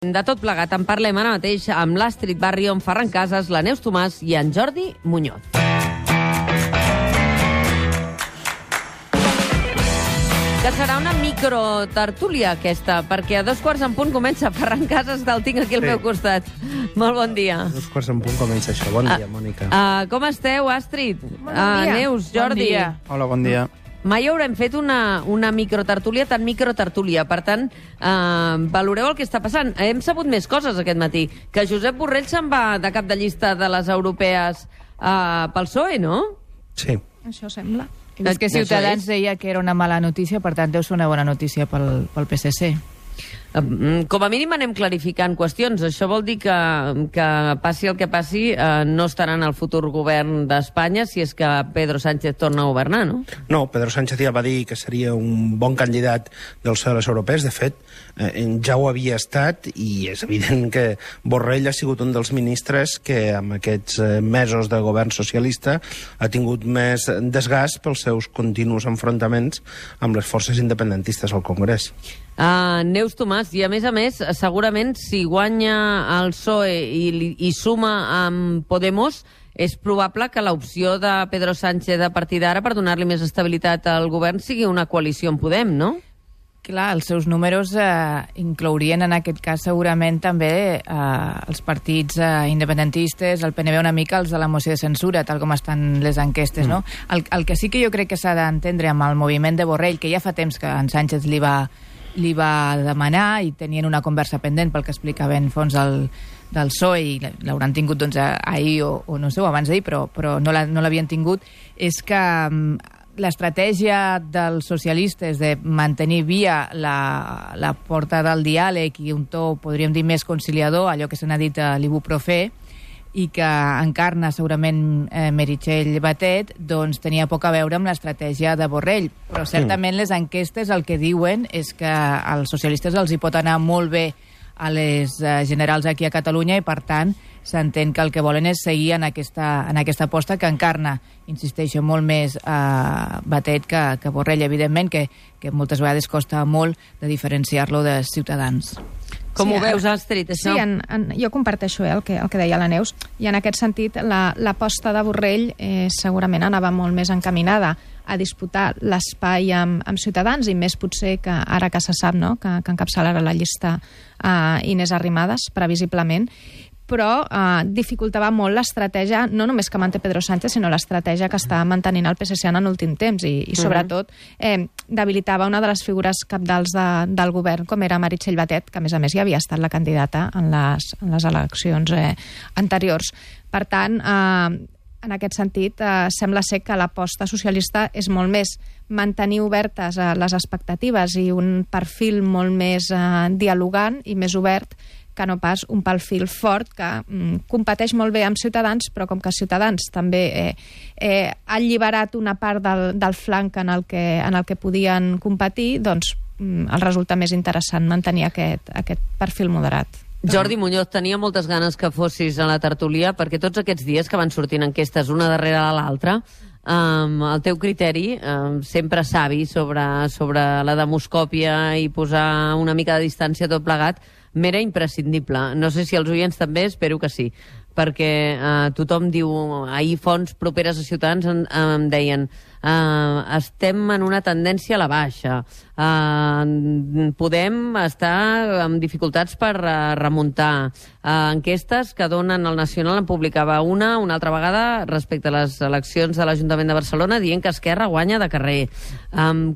De tot plegat en parlem ara mateix amb l'Astrid Barrio, en Ferran Casas, la Neus Tomàs i en Jordi Muñoz. Que serà una microtertúlia aquesta, perquè a 2:15 comença Ferran Casas, el tinc aquí al meu costat. Molt bon dia. A 2:15 comença això. Bon dia, Mònica. Com esteu, Astrid? Bon dia. Neus, Jordi. Bon dia. Hola, bon dia. Mai haurem fet una microtertúlia tan microtertúlia. Per tant, valoreu el que està passant. Hem sabut més coses aquest matí. Que Josep Borrell se'n va de cap de llista de les europees pel PSOE, no? Sí. Això sembla. És que Ciutadans deia que era una mala notícia, per tant deu ser una bona notícia pel PSC. Com a mínim anem clarificant qüestions. Això vol dir que passi el que passi, no estaran al futur govern d'Espanya si és que Pedro Sánchez torna a governar, no? No, Pedro Sánchez ja va dir que seria un bon candidat del PSOE a les europees. De fet, ja ho havia estat i és evident que Borrell ha sigut un dels ministres que amb aquests mesos de govern socialista ha tingut més desgast pels seus continus enfrontaments amb les forces independentistes al Congrés. Neus Tomàs, i a més, segurament si guanya el PSOE i suma amb Podemos, és probable que l'opció de Pedro Sánchez a partir d'ara per donar-li més estabilitat al govern sigui una coalició amb Podem, no? Clar, els seus números inclourien en aquest cas segurament també els partits independentistes, el PNB una mica, els de la moció de censura, tal com estan les enquestes, no? El que sí que jo crec que s'ha d'entendre amb el moviment de Borrell, que ja fa temps que en Sánchez li va demanar i tenien una conversa pendent pel que explicaven fons del PSOE i l'hauran tingut doncs, ahir o no sé, o abans d'ahir, però no l'havien tingut, és que l'estratègia dels socialistes de mantenir via la porta del diàleg i un to, podríem dir, més conciliador, allò que se n'ha dit a l'ibuprofè, i que encarna segurament Meritxell Batet, doncs tenia poc a veure amb l'estratègia de Borrell. Però certament les enquestes el que diuen és que als socialistes els hi pot anar molt bé a les generals aquí a Catalunya i, per tant, s'entén que el que volen és seguir en aquesta aposta que encarna, insisteixo, molt més Batet que Borrell, evidentment, que moltes vegades costa molt de diferenciar-lo de Ciutadans. Com ho veus, Astrid, això? Sí, jo comparteixo el que deia la Neus, i en aquest sentit l'aposta de Borrell segurament anava molt més encaminada a disputar l'espai amb Ciutadans, i més potser que ara que se sap, no?, que encapçalarà la llista Inés Arrimadas, previsiblement, però dificultava molt l'estratègia, no només que manté Pedro Sánchez, sinó l'estratègia que està mantenint el PSC en l'últim temps, i sobretot debilitava una de les figures capdals del govern, com era Meritxell Batet, que a més ja havia estat la candidata en les eleccions anteriors. Per tant, en aquest sentit, sembla ser que l'aposta socialista és molt més mantenir obertes les expectatives i un perfil molt més dialogant i més obert, que no pas un perfil fort que competeix molt bé amb Ciutadans, però com que Ciutadans també ha alliberat una part del flanc en el que podien competir, doncs el resulta més interessant mantenir aquest perfil moderat. Jordi Muñoz, tenia moltes ganes que fossis a la tertúlia, perquè tots aquests dies que van sortint enquestes una darrere de l'altra, el teu criteri, sempre savi sobre la demoscòpia i posar una mica de distància a tot plegat, m'era imprescindible. No sé si els oients també, espero que sí, perquè tothom diu, ahir fonts properes a Ciutadans em deien estem en una tendència a la baixa, podem estar amb dificultats per remuntar. Enquestes que donen el Nacional, en publicava una altra vegada respecte a les eleccions de l'Ajuntament de Barcelona, dient que Esquerra guanya de carrer.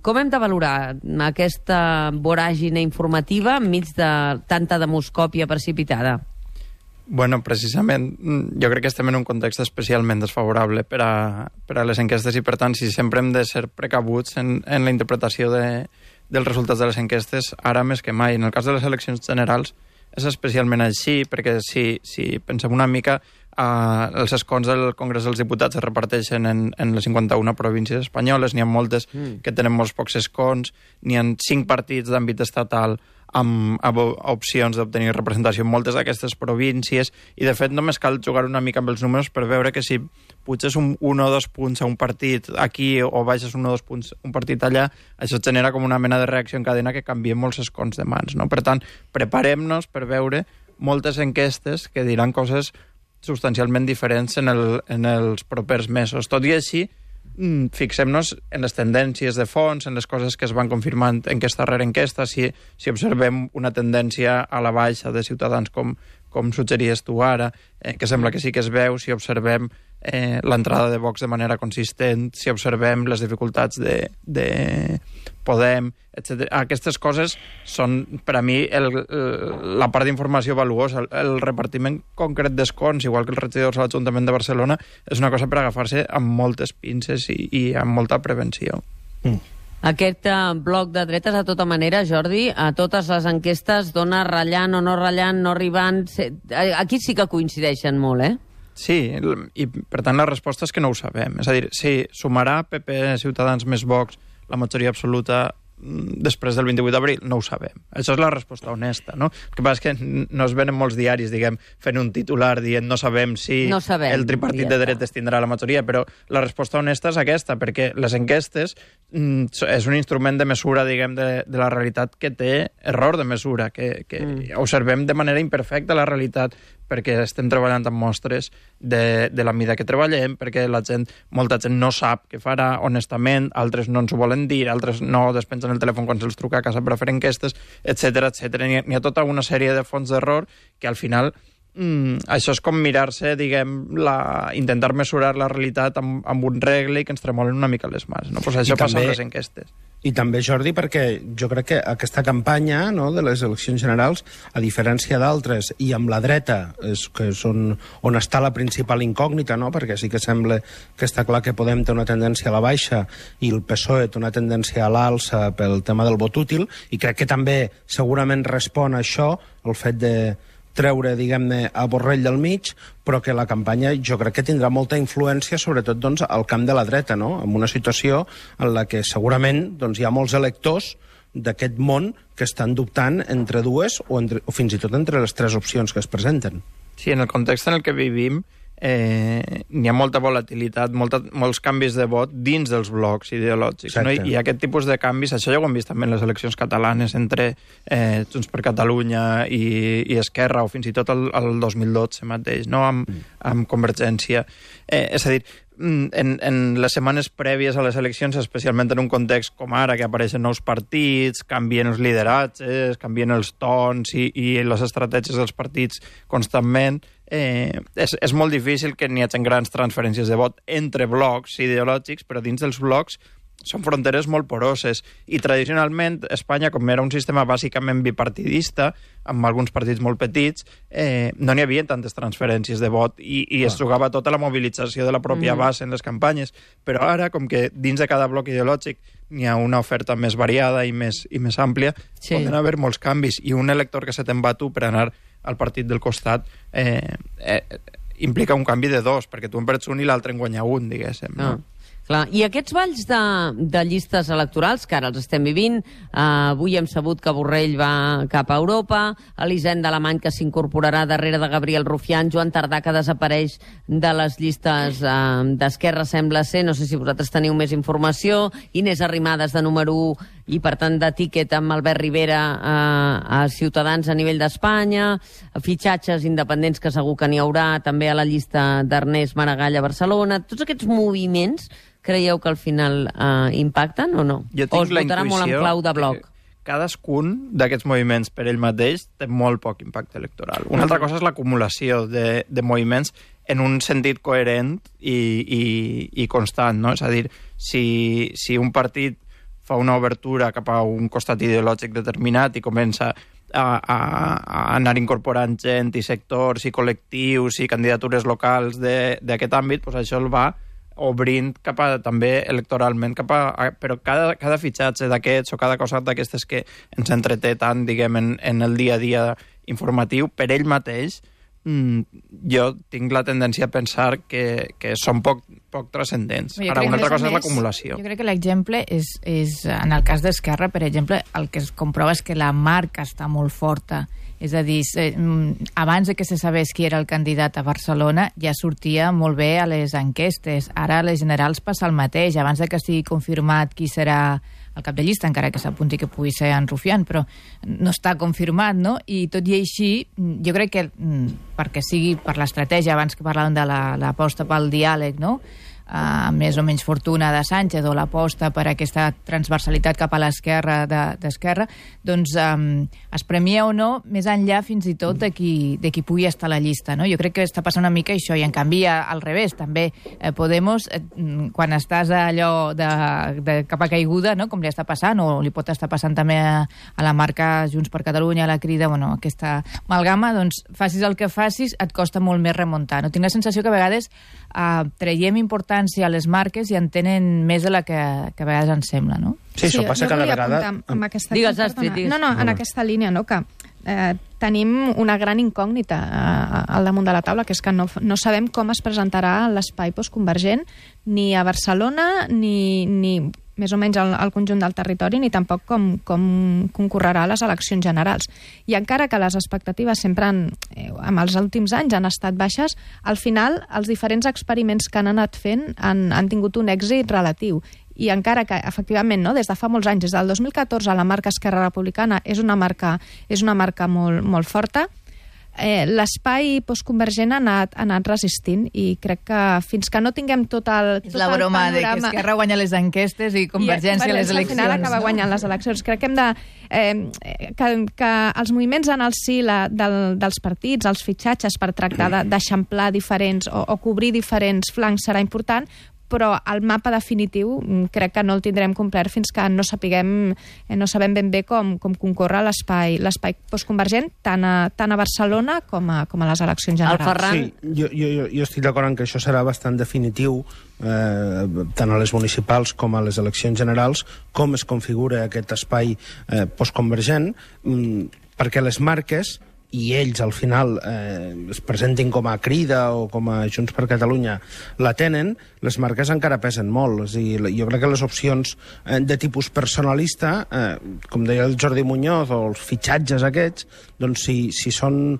Com hem de valorar aquesta voràgine informativa enmig de tanta demoscòpia precipitada? Bueno, precisament, jo crec que estem en un context especialment desfavorable per a les enquestes i, per tant, si sempre hem de ser precabuts en la interpretació dels resultats de les enquestes, ara més que mai. En el cas de les eleccions generals és especialment així, perquè si pensem una mica, els escons del Congrés dels Diputats es reparteixen en les 51 províncies espanyoles, n'hi ha moltes que tenen molts pocs escons, n'hi ha 5 partits d'àmbit estatal amb opcions d'obtenir representació en moltes d'aquestes províncies, i de fet només cal jugar una mica amb els números per veure que si puges 1 o 2 punts a un partit aquí o baixes 1 o 2 punts a un partit allà, això genera com una mena de reacció en cadena que canvia molts escons de mans, no? Per tant, preparem-nos per veure moltes enquestes que diran coses substancialment diferents en els propers mesos. Tot i així, fixem-nos en les tendències de fons, en les coses que es van confirmant enquesta rere enquesta, si observem una tendència a la baixa de Ciutadans com suggeries tu ara, que sembla que sí que es veu, si observem l'entrada de Vox de manera consistent, si observem les dificultats de Podem, etc. Aquestes coses són, per a mi, la part d'informació valuosa. El repartiment concret d'escons, igual que els regidors a l'Ajuntament de Barcelona, és una cosa per agafar-se amb moltes pinces i amb molta prevenció. Aquest bloc de dretes, de tota manera, Jordi, a totes les enquestes dona ratllant o no ratllant, no arribant... Aquí sí que coincideixen molt, eh? Sí, i per tant la resposta és que no ho sabem. És a dir, si sumarà PP, Ciutadans més Vox la majoria absoluta després del 28 d'abril, no ho sabem. Això és la resposta honesta, no? El que passa és que no es venen molts diaris, diguem, fent un titular dient no sabem si el tripartit de dretes tindrà la majoria, però la resposta honesta és aquesta, perquè les enquestes és un instrument de mesura, diguem, de la realitat que té error de mesura, que observem de manera imperfecta la realitat, perquè estem treballant amb mostres de la mida que treballem, perquè molta gent no sap què farà honestament, altres no ens ho volen dir, altres no despengen el telèfon quan se'ls truca a casa per a fer enquestes, etc. N'hi ha tota una sèrie de fonts d'error que al final això és com mirar-se, diguem, intentar mesurar la realitat amb un regle i que ens tremolen una mica les mans, no? Pues això passa amb les enquestes. I també, Jordi, perquè jo crec que aquesta campanya, no, de les eleccions generals, a diferència d'altres, i amb la dreta, que és on està la principal incògnita, no? Perquè sí que sembla que està clar que Podem té una tendència a la baixa i el PSOE té una tendència a l'alça pel tema del vot útil, i crec que també segurament respon a això el fet de treure, diguem-ne, a Borrell del mig, però que la campanya jo crec que tindrà molta influència, sobretot doncs, al camp de la dreta, no? En una situació en la que segurament doncs, hi ha molts electors d'aquest món que estan dubtant entre dues o fins i tot entre les 3 opcions que es presenten. Sí, en el context en el que vivim n'hi ha molta volatilitat, molts canvis de vot dins dels blocs ideològics, no? I aquest tipus de canvis, això ja ho hem vist també en les eleccions catalanes entre Junts per Catalunya i Esquerra, o fins i tot el 2012 mateix, no? Amb Convergència. És a dir, en les setmanes prèvies a les eleccions, especialment en un context com ara, que apareixen nous partits, canvien els lideratges, canvien els tons i les estratègies dels partits constantment, és molt difícil que n'hi hagi grans transferències de vot entre blocs ideològics, però dins dels blocs són fronteres molt poroses. I tradicionalment Espanya, com era un sistema bàsicament bipartidista, amb alguns partits molt petits, no n'hi havia tantes transferències de vot i es jugava tota la mobilització de la pròpia base en les campanyes. Però ara, com que dins de cada bloc ideològic n'hi ha una oferta més variada i més àmplia, poden haver molts canvis. I un elector que se te'n va tu per anar al partit del costat implica un canvi de 2, perquè tu en perds un i l'altre en guanya un, diguéssim. No? Clar. I aquests balls de llistes electorals, que ara els estem vivint, avui hem sabut que Borrell va cap a Europa, Elisenda Alemany, que s'incorporarà darrere de Gabriel Rufián, Joan Tardà, que desapareix de les llistes d'Esquerra, sembla ser, no sé si vosaltres teniu més informació, Inés Arrimadas de número 1 i, per tant, de tiquet amb Albert Rivera a Ciutadans a nivell d'Espanya, fitxatges independents que segur que n'hi haurà, també a la llista d'Ernest Maragall a Barcelona. Tots aquests moviments creieu que al final impacten o no? O es votarà molt en clau de bloc? Cadascun d'aquests moviments per ell mateix té molt poc impacte electoral. Una altra cosa és l'acumulació de moviments en un sentit coherent i constant, no? És a dir, si un partit fa una obertura cap a un costat ideològic determinat i comença a anar incorporant gent i sectors i col·lectius i candidatures locals d'aquest àmbit, doncs això el va obrint cap a, també electoralment, però cada fitxatge d'aquests o cada cosa d'aquestes que ens entreté tant, diguem, en el dia a dia informatiu, per ell mateix jo tinc la tendència a pensar que són poc transcendents. Ara, una altra cosa és l'acumulació. Jo crec que l'exemple és, en el cas d'Esquerra, per exemple, el que es comprova és que la marca està molt forta. És a dir, abans de que se sabés qui era el candidat a Barcelona, ja sortia molt bé a les enquestes. Ara a les generals passa el mateix. Abans de que estigui confirmat qui serà el cap de llista, encara que s'apunti que pugui ser en Rufián, però no està confirmat, no? I tot i així, jo crec que, perquè sigui per l'estratègia, abans que parlàvem de l'aposta pel diàleg, no?, més o menys fortuna de Sánchez, o l'aposta per aquesta transversalitat cap a l'esquerra d'Esquerra, doncs es premia o no més enllà fins i tot de qui pugui estar a la llista, no? Jo crec que està passant una mica això, i en canvi al revés, també Podemos, quan estàs allò de capa caiguda, no?, com li està passant, o li pot estar passant també a la marca Junts per Catalunya, a la Crida, bueno, aquesta amalgama, doncs facis el que facis, et costa molt més remuntar, no? Tinc la sensació que a vegades traiem importància a les marques i en tenen més de la que a vegades ens sembla, no? Sí, això passa cada vegada... Digues, Astrid, digues. No, en aquesta línia, no?, que tenim una gran incògnita al damunt de la taula, que és que no sabem com es presentarà l'espai postconvergent ni a Barcelona ni més o menys al conjunt del territori, ni tampoc com concorrerà a les eleccions generals. I encara que les expectatives sempre en els últims anys han estat baixes, al final els diferents experiments que han anat fent han tingut un èxit relatiu. I encara que, efectivament, no, des de fa molts anys, des del 2014, la marca Esquerra Republicana és una marca molt, molt forta, l'espai postconvergent ha anat resistint, i crec que fins que no tinguem tot el panorama... És la broma de que Esquerra guanya les enquestes i Convergència les eleccions. Al final acaba guanyant les eleccions. Crec que hem de... que els moviments en el si dels partits, els fitxatges per tractar d'eixamplar diferents o cobrir diferents flancs serà important, però el mapa definitiu crec que no el tindrem complet fins que no sabem ben bé com concorre l'espai postconvergent tant a Barcelona com a les eleccions generals. El Ferran... Sí, jo estic d'acord en que això serà bastant definitiu, tant a les municipals com a les eleccions generals, com es configura aquest espai postconvergent, perquè les marques i ells al final es presentin com a Crida o com a Junts per Catalunya la tenen, les marques encara pesen molt. És a dir, jo crec que les opcions de tipus personalista, com deia el Jordi Muñoz, o els fitxatges aquests, doncs si són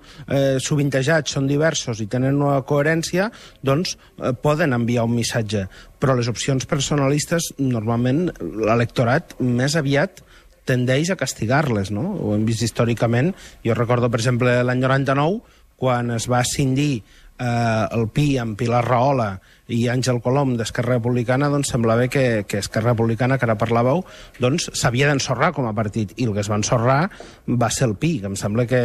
sovintejats, són diversos i tenen una coherència, doncs poden enviar un missatge. Però les opcions personalistes, normalment, l'electorat més aviat tendeix a castigar-les, no? Ho hem vist històricament. Jo recordo, per exemple, l'any 99, quan es va escindir el PI amb Pilar Rahola i Àngel Colom d'Esquerra Republicana, doncs semblava que Esquerra Republicana, que ara parlàveu, doncs s'havia d'ensorrar com a partit, i el que es va ensorrar va ser el PI, que em sembla que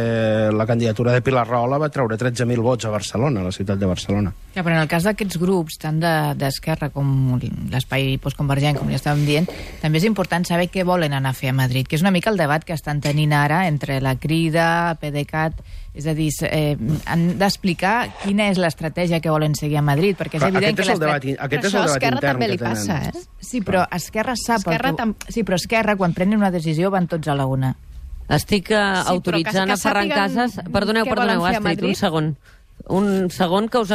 la candidatura de Pilar Rahola va treure 13.000 vots a Barcelona, a la ciutat de Barcelona. Ja, però en el cas d'aquests grups, tant d'Esquerra com l'espai postconvergent, com ja estàvem dient, també és important saber què volen anar a fer a Madrid, que és una mica el debat que estan tenint ara entre la Crida, PDeCAT, és a dir, han d'explicar quina és l'estratègia que volen seguir a Madrid, perquè és evident que aquest és el debat intern que tenen. Passa, Sí, però Esquerra sap... Sí, però Esquerra, quan prenen una decisió, van tots a la una. Estic autoritzant a Ferran Casas... Perdoneu, Astrid, un segon que us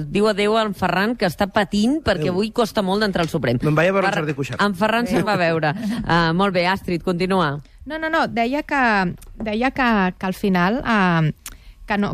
diu adéu a en Ferran, que està patint perquè avui costa molt d'entrar al Suprem. Me'n vaig a veure el Jordi Cuixart. En Ferran se'n va veure. Molt bé, Astrid, continua. No, deia que al final que no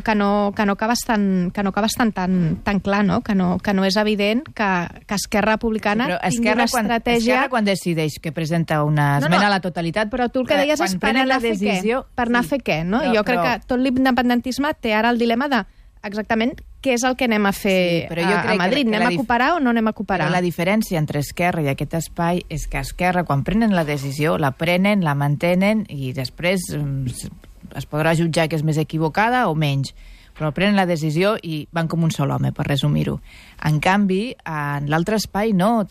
acaba estant tan clar, no? Que no és evident que Esquerra Republicana tingui una estratègia... Esquerra quan decideix que presenta una esmena a la totalitat... Però tu el que deies és per anar a fer què? Per anar a fer què, no? Jo crec que tot l'independentisme té ara el dilema de exactament què és el que anem a fer a Madrid. Anem a cooperar o no anem a cooperar? La diferència entre Esquerra i aquest espai és que Esquerra, quan prenen la decisió, la prenen, la mantenen i després es podrà jutjar que és més equivocada o menys. Però prenen la decisió i van com un sol home, per resumir-ho. En canvi, en l'altre espai no.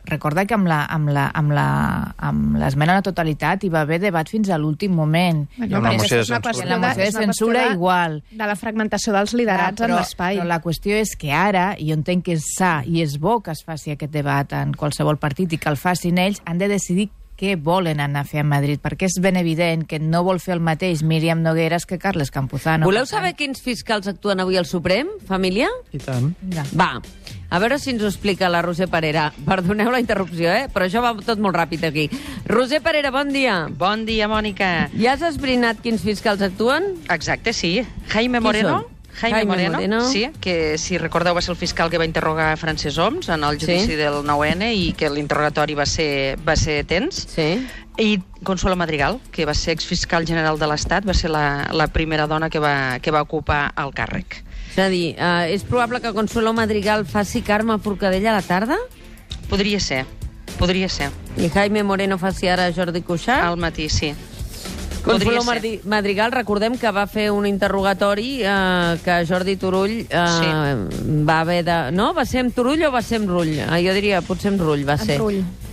Recordar que amb l'esmena a la totalitat hi va haver debat fins a l'últim moment. La moció de censura igual. De la fragmentació dels liderats en l'espai. Però la qüestió és que ara, i jo entenc que és sa i és bo que es faci aquest debat en qualsevol partit i que el facin ells, han de decidir què volen anar a fer a Madrid, perquè és ben evident que no vol fer el mateix Míriam Nogueras que Carles Campuzano. Voleu saber quins fiscals actuen avui al Suprem, família? I tant. Va, a veure si ens ho explica la Roser Parera. Perdoneu la interrupció, però això va tot molt ràpid aquí. Roser Parera, bon dia. Bon dia, Mònica. Ja has esbrinat quins fiscals actuen? Exacte, sí. Jaime Moreno. Jaime Moreno, sí, que si recordeu va ser el fiscal que va interrogar Francesc Homs en el judici del 9-N i que l'interrogatori va ser tens. Sí. I Consuelo Madrigal, que va ser exfiscal general de l'Estat, va ser la primera dona que va ocupar el càrrec. És a dir, és probable que Consuelo Madrigal faci Carme Forcadell a la tarda? Podria ser. I Jaime Moreno faci ara Jordi Cuixart? Al matí, sí. Consuelo Madrigal, recordem que va fer un interrogatori que Jordi Turull va haver de... No? Va ser amb Turull o va ser amb Rull? Jo diria, potser amb Rull va ser.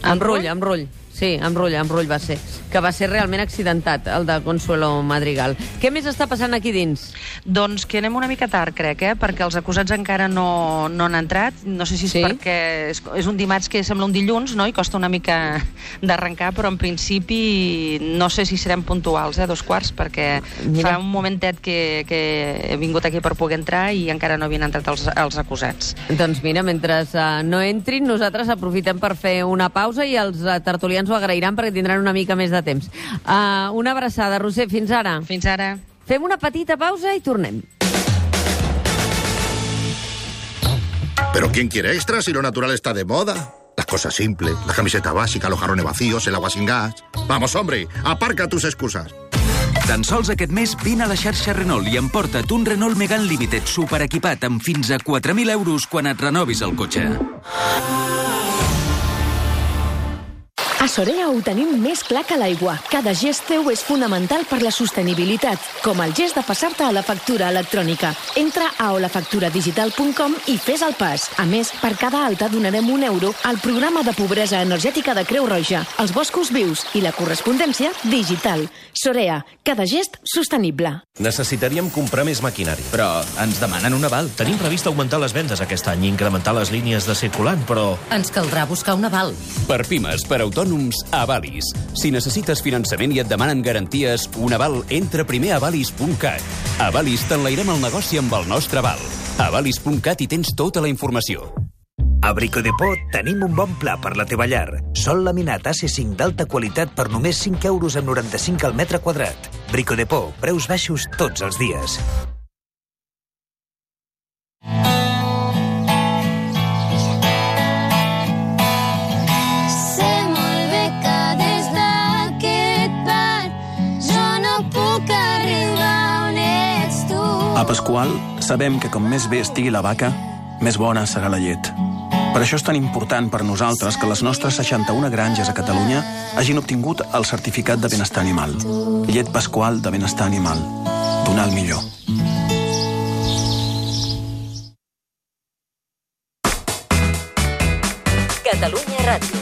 Amb Rull. Sí, amb Rull va ser. Que va ser realment accidentat, el de Consuelo Madrigal. Què més està passant aquí dins? Doncs que anem una mica tard, crec, perquè els acusats encara no han entrat. No sé si és perquè és un dimarts que sembla un dilluns, no? I costa una mica d'arrencar, però en principi no sé si serem puntuals, 2:15, perquè fa un momentet que he vingut aquí per poder entrar i encara no havien entrat els acusats. Doncs mira, mentre no entrin, nosaltres aprofitem per fer una pausa i els tertulians ho agrairan perquè tindran una mica més de temps. Una abraçada, Roser, fins ara. Fins ara. Fem una petita pausa i tornem. ¿Pero quién quiere extra si lo natural está de moda? Las cosas simples, la camiseta básica, los jarrones vacíos, el agua sin gas. Vamos, hombre, aparca tus excusas. Tan sols aquest mes vine a la xarxa Renault i emporta't un Renault Megane Limited superequipat amb fins a 4.000 euros quan et renovis el cotxe. A Sorea ho tenim més clar que l'aigua. Cada gest teu és fonamental per la sostenibilitat, com el gest de passar-te a la factura electrònica. Entra a olafacturadigital.com i fes el pas. A més, per cada alta donarem €1 al programa de pobresa energètica de Creu Roja, els boscos vius i la correspondència digital. Sorea, cada gest sostenible. Necessitaríem comprar més maquinari. Però ens demanen un aval. Tenim previst augmentar les vendes aquest any i incrementar les línies de circulant, però... Ens caldrà buscar un aval. Per pimes, per autònoms, Avalis. Si necessites finançament i et demanen garanties, un aval, entra primer a avalis.cat. Avalis t'enlairem el negoci amb el nostre aval. Avalis.cat hi tens tota la informació. A Brico Depot tenim un bon pla per la teva llar. Sol laminat AC5 d'alta qualitat per només €5,95 al metre quadrat. Brico Depot, preus baixos tots els dies. A Pasqual sabem que com més bé estigui la vaca, més bona serà la llet. Per això és tan important per nosaltres que les nostres 61 granges a Catalunya hagin obtingut el certificat de benestar animal. Llet Pasqual de benestar animal. Donar el millor. Catalunya Ràdio.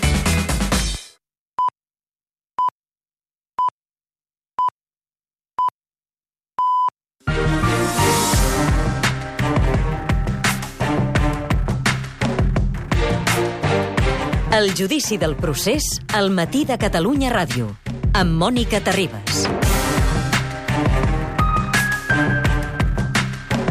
El judici del procés al matí de Catalunya Ràdio, amb Mònica Terribas.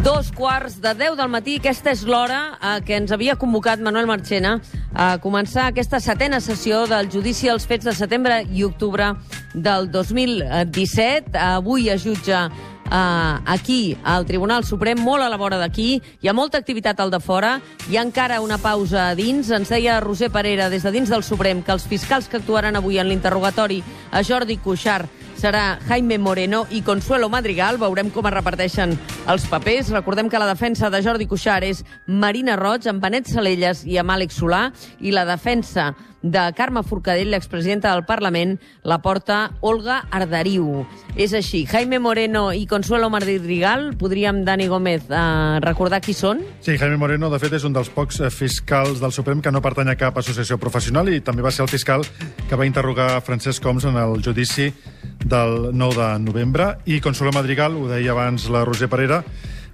2:15 del matí, aquesta és l'hora que ens havia convocat Manuel Marchena a començar aquesta 7ª sessió del judici als fets de setembre i octubre del 2017. Avui es jutja aquí, al Tribunal Suprem, molt a la vora d'aquí. Hi ha molta activitat al de fora. Hi ha encara una pausa a dins. Ens deia Roser Parera, des de dins del Suprem, que els fiscals que actuaran avui en l'interrogatori a Jordi Cuixart serà Jaime Moreno i Consuelo Madrigal. Veurem com es reparteixen els papers. Recordem que la defensa de Jordi Cuixart és Marina Roig, amb Benet Salellas i amb Àlex Solà, i la defensa de Carme Forcadell, l'expresidenta del Parlament, la porta Olga Arderiu. És així. Jaime Moreno i Consuelo Madrigal, podríem, Dani Gómez, recordar qui són? Sí, Jaime Moreno, de fet, és un dels pocs fiscals del Suprem que no pertany a cap associació professional i també va ser el fiscal que va interrogar Francesc Homs en el judici del 9 de novembre. I Consuelo Madrigal, ho deia abans la Roser Parera,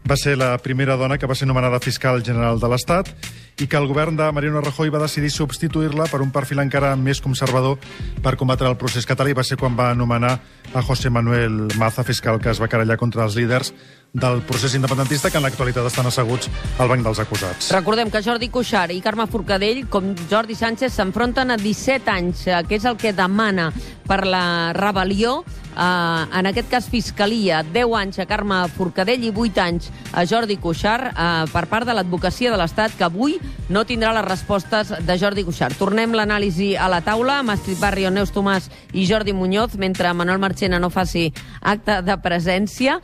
va ser la primera dona que va ser nomenada fiscal general de l'Estat i que el govern de Mariano Rajoy va decidir substituir-la per un perfil encara més conservador per combatre el procés català, i va ser quan va nomenar a José Manuel Maza, fiscal que es va querellar contra els líders del procés independentista, que en l'actualitat estan asseguts al banc dels acusats. Recordem que Jordi Cuixart i Carme Forcadell, com Jordi Sánchez, s'enfronten a 17 anys, que és el que demana per la rebel·lió. En aquest cas, Fiscalia, 10 anys a Carme Forcadell i 8 anys a Jordi Cuixart per part de l'advocacia de l'Estat, que avui no tindrà les respostes de Jordi Cuixart. Tornem l'anàlisi a la taula amb Astrid Barrio, Neus Tomàs i Jordi Muñoz, mentre Manuel Marchena no faci acte de presència.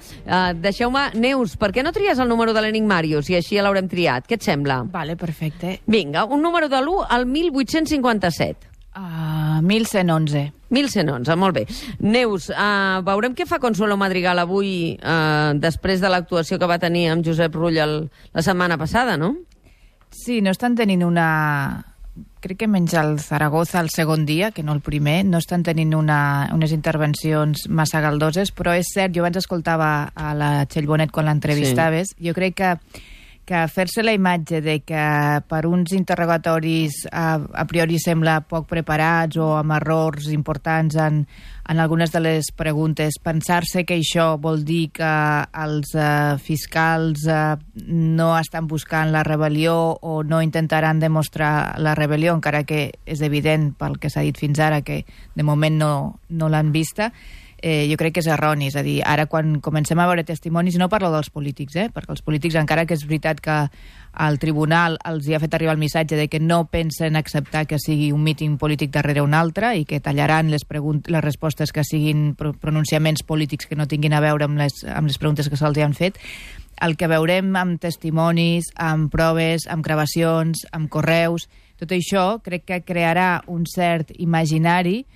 Deixeu-me, Neus, per què no tries el número de l'Enigmàrius i així ja l'haurem triat? Què et sembla? Vale, perfecte. Vinga, un número de l'1 al 1857. 1111. 1111, molt bé. Neus, veurem què fa Consuelo Madrigal avui després de l'actuació que va tenir amb Josep Rull la setmana passada, no? Sí, no estan tenint una... Crec que menys el Zaragoza el segon dia, que no el primer, no estan tenint unes intervencions massa galdoses, però és cert, jo abans escoltava a la Txell Bonet quan l'entrevistaves, sí. Jo crec que fer-se la imatge de que per uns interrogatoris a priori sembla poc preparats o amb errors importants en algunes de les preguntes, pensar-se que això vol dir que els fiscals no estan buscant la rebel·lió o no intentaran demostrar la rebel·lió, encara que és evident pel que s'ha dit fins ara que de moment no l'han vista, jo crec que és erroni. És a dir, ara quan comencem a veure testimonis, no parlo dels polítics, perquè els polítics, encara que és veritat que el tribunal els hi ha fet arribar el missatge de que no pensen acceptar que sigui un míting polític darrere un altre i que tallaran les respostes que siguin pronunciaments polítics que no tinguin a veure amb les preguntes que se'ls han fet. El que veurem amb testimonis, amb proves, amb gravacions, amb correus, tot això crec que crearà un cert imaginari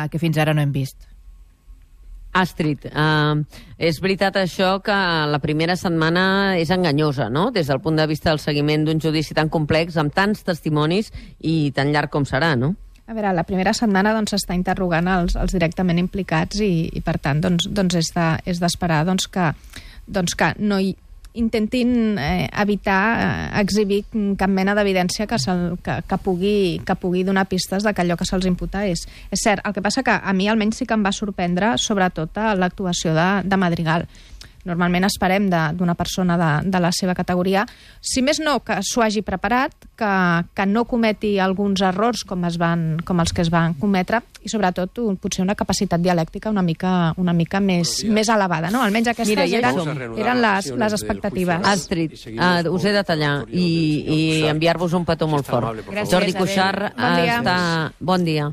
que fins ara no hem vist. Astrid, és veritat això que la primera setmana és enganyosa, no?, des del punt de vista del seguiment d'un judici tan complex, amb tants testimonis i tan llarg com serà, no? A veure, la primera setmana s'està interrogant els directament implicats i per tant, és d'esperar que no intentin evitar exhibir cap mena d'evidència que pugui donar pistes de que allò que se'ls imputa és cert. El que passa que a mi almenys sí que em va sorprendre sobretot l'actuació de Madrigal. Normalment esperem d'una persona de la seva categoria, si més no, que s'ho hagi preparat, que no cometi alguns errors com els que es van cometre i sobretot potser una capacitat dialèctica una mica més elevada, no? Almenys aquestes eren les expectatives. Astrid, us he de tallar i enviar-vos un petó molt fort. Gràcies, Jordi Cuixart, bon dia.